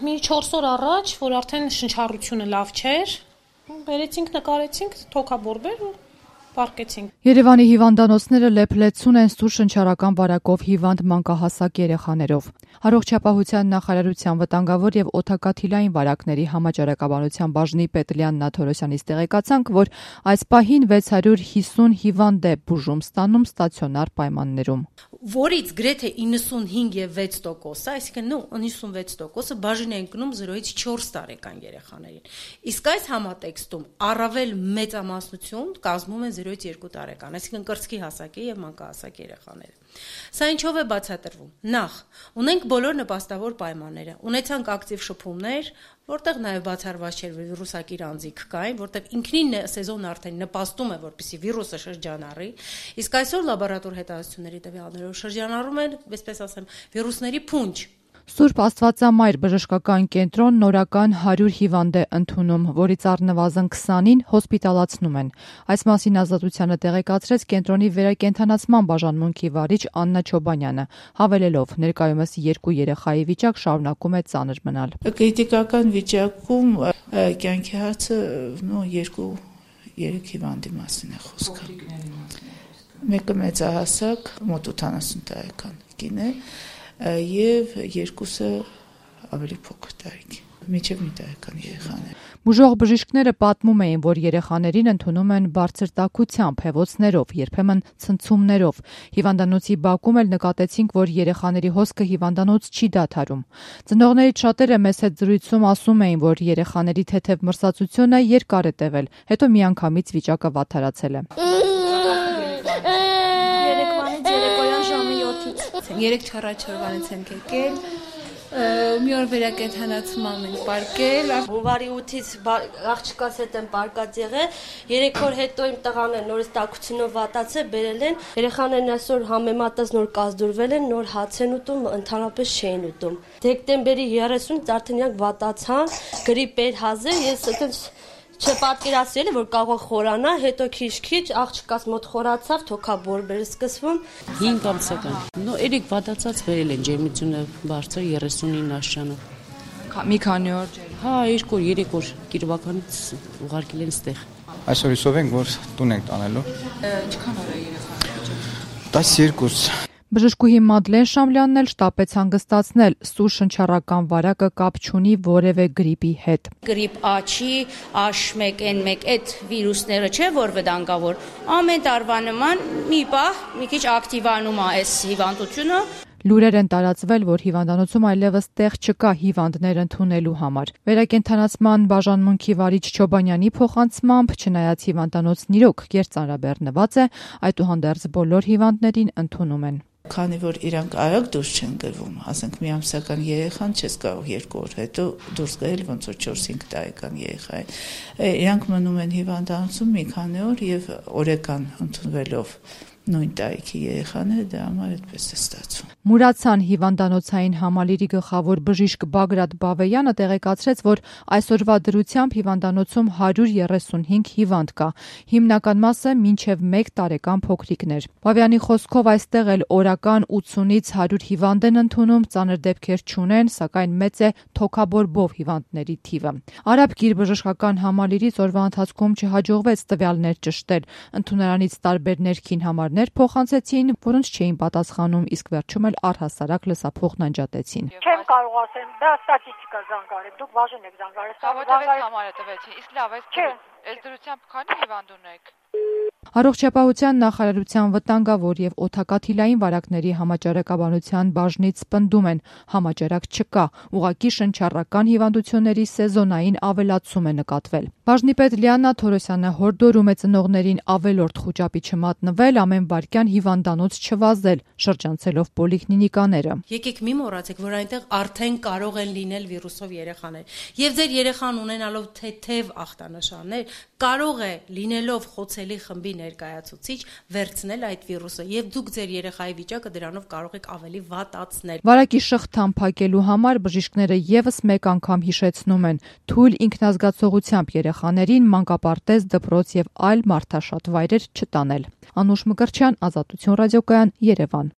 մի 4 օր առաջ, որ արդեն շնչառությունը լավ չէր, բերեցինք, նկարեցինք, թոքաբորբեր ու պառկեցինք։ Երևանի հիվանդանոցները լեփլեցուն են սուր շնչառական վարակով հիվանդ մանկահասակ երեխաներով։ Առողջապահության նախարարության վտանգավոր եւ օդակաթիլային վարակների համաճարակաբանության բաժնի պետ Լիաննա Թորոսյանից տեղեկացանք, որ այս պահին 650 հիվանդ է բուժում ստանում ստացիոնար պայմաններում, որից գրեթե 95.6%, այսինքն 96%-ը բաժին են գնում 0-ից 4 տարեկան երեխաներին։ Իսկ այս համատեքստում առավել մեծամասնություն կազմում են 0-ից 2 տարեկան, այսինքն կրծքի հասակի եւ մանկահասակ երեխաները։ Սա ինչով է բացատրվում։ Նախ, ունենք բոլոր նպաստավոր պայմանները, ունեցանք ակտիվ շփումներ, որտեղ նաև բացառված չէր վիրուսակիր անձիկ կային, որտեղ ինքնին սեզոնը արդեն նպաստում է, որպեսզի վիրուսը շրջանառի, իսկ այսօր լաբորատոր հետազոտությունների տվյալներով շրջանառում են, այսպես ասեմ, վիրուսների փունջ։ Սուրբ Աստվածամայր բժշկական կենտրոն նորական 100 հիվանդ է ընդունում, որից առնվազն 20-ին հոսպիտալացնում են։ Այս մասին Ազատությանը տեղեկացրեց կենտրոնի վերակենդանացման բաժանմունքի վարիչ Աննա Չոբանյանը, հավելելով ներկայումս 2 երեխայի վիճակ շարունակում է ծանր մնալ։ Կրիտիկական վիճակում կյանքի հարցը 2-3 հիվանդի մասին է խոսքը։ Մեկը մեծահասակ, մոտ 80 տարեկան կին է, եւ երկուսը ավելի փոքր տարիքի, մինչև մի տարեկան երեխաներ։ Բուժող բժիշկները պատմում էին, որ երեխաներին ընդունում են բարձր տաքությամբ, հեվոցներով, երբեմն ցնցումներով։ Հիվանդանոցի բակում էլ նկատեցինք, որ երեխաների հոսքը հիվանդանոց չի դադարում։ Ծնողներից շատերը մեզ հետ զրույցում ասում էին, որ երեխաների թեթև մրսածությունը երկար է տևել, հետո միանգամից վիճակը վատթարացել է։ 3 չառաջորվանից ենք եկել, մի օր վերակենդանացման ենք պարկել։ Հունվարի 8-ից աղջկաս հետ եմ պարկած եղել, 3 օր հետո իմ տղան էլ նորից տաքությունով վատացել, բերել են, երեխաներն այսօր համեմատած նոր կազդուրվել են, նոր հաց են ուտում, ընդհանրապես չէին ուտում։ Դեկտեմբերի 30-ից արդեն իրանք վատացան, գրիպ էր հազար, ես այդպես չպատկերացրել որ կարող խորանա, հետո քիչ-քիչ աղջկաս մոտ խորացավ, թոքաբորբեր սկսվում։ 5 ամսական։ Երեք վատացած վերել են, ջերմությունը բարձր 39 աշճանով։ Մի քանի օր։ Հա, 2-3 օր գիրվականից ուղարկել են ստեղ։ Այսօր հիսով ենք, որ տուն ենք տանելու։ Ինչքան օր է երեխան։ 12։ Բժշկուհի Մադլեն Շամլյանն էլ շտապեց հանգստացնել, սուր շնչառական վարակը կապ չունի որևէ գրիպի հետ։ Գրիպ A-չի, H1N1 այդ վիրուսները չէ, որ վտանգավոր։ Ամեն տարվա նման մի պահ մի քիչ ակտիվանում է այս հիվանդությունը։ Լուրեր են տարածվել, որ հիվանդանոցում այլևս տեղ չկա հիվանդներ ընդունելու համար։ Վերակենդանացման բաժանմունքի վարիչ Չոբանյանի փոխանցմամբ, չնայած հիվանդանոցն իրոք կերծանրաբեռնված է, այդուհանդերձ բոլոր հիվանդներին ընդունում են։ Քանի որ իրանք արագ դուրս չեն գրվում, ասենք մի ամսական երեխան չես կարող 2 օր հետո դուրս գրել, ոնց որ 4-5 տարեկան երեխա է։ Իրանք մնում են հիվանդանոցում մի քանի օր եւ օրեկան ընդունվելով նույն տարիքի երեխաները դրա համար այդպես է ստացվում։ Մուրացան հիվանդանոցային համալիրի գլխավոր բժիշկ Բագրատ Բավեյանը տեղեկացրեց, որ այսօրվա դրությամբ հիվանդանոցում 135 հիվանդ կա, հիմնական մասը մինչև 1 տարեկան փոքրիկներ։ Բավյանի խոսքով այստեղ էլ օրական 80-ից 100 հիվանդ են ընդունում, ծանր դեպքեր չունեն, սակայն մեծ է թոքաբորբով հիվանդների թիվը։ Արաբ գիրբժշկական համալիրից օրվա ընթացքում չհաջողվեց տվյալներ ճշտել, ընդունարանից տարբեր ներքին համարներ փոխանցեցին, որոնց չէին պատասխանում, իսկ վերջում էլ առհասարակ լսափողն անջատեցին։ Չեմ կարող ասեմ, դա ստատիստիկա զանգարել, դուք բաժին եք զանգարել։ Որտեղից համարը տվեցին, իսկ լավ, այս դրությամբ քանի հիվանդ ունեք։ Առողջապահության նախարարության վտանգավոր եւ օդակաթիլային վարակների համաճարակաբանության բաժնից պնդում են, համաճարակ չկա, ուղղակի շնչառական հիվանդությունների սեզոնային ավելացում է նկատվել։ Բաժնի պետ Լիաննա Թորոսյանը հորդորում է ծնողներին ավելորդ խուճապի չմատնվել, ամեն վայրկյան հիվանդանոց չվազել, շրջանցելով պոլիկլինիկաները։ Եկեք մի մոռացեք, որ այնտեղ արդեն կարող են լինել վիրուսով երեխաներ։ Եվ ձեր երեխան ունենալով թեթև ախտանշաններ, կարող է լինելով խոցելի խմբի ներկայացուցիչ վերցնել այդ վիրուսը եւ դուք ձեր երեխայի վիճակը դրանով կարող եք ավելի վատացնել։ Վարակի շղթան փակելու համար բժիշկները եւս մեկ անգամ հիշեցնում են՝ թույլ ինքնազգացողությամբ երեխաներին մանկապարտեզ, դպրոց եւ այլ մարդաշատ վայրեր չտանել։ Անուշ Մկրտչյան, Ազատություն ռադիոկայան, Երևան։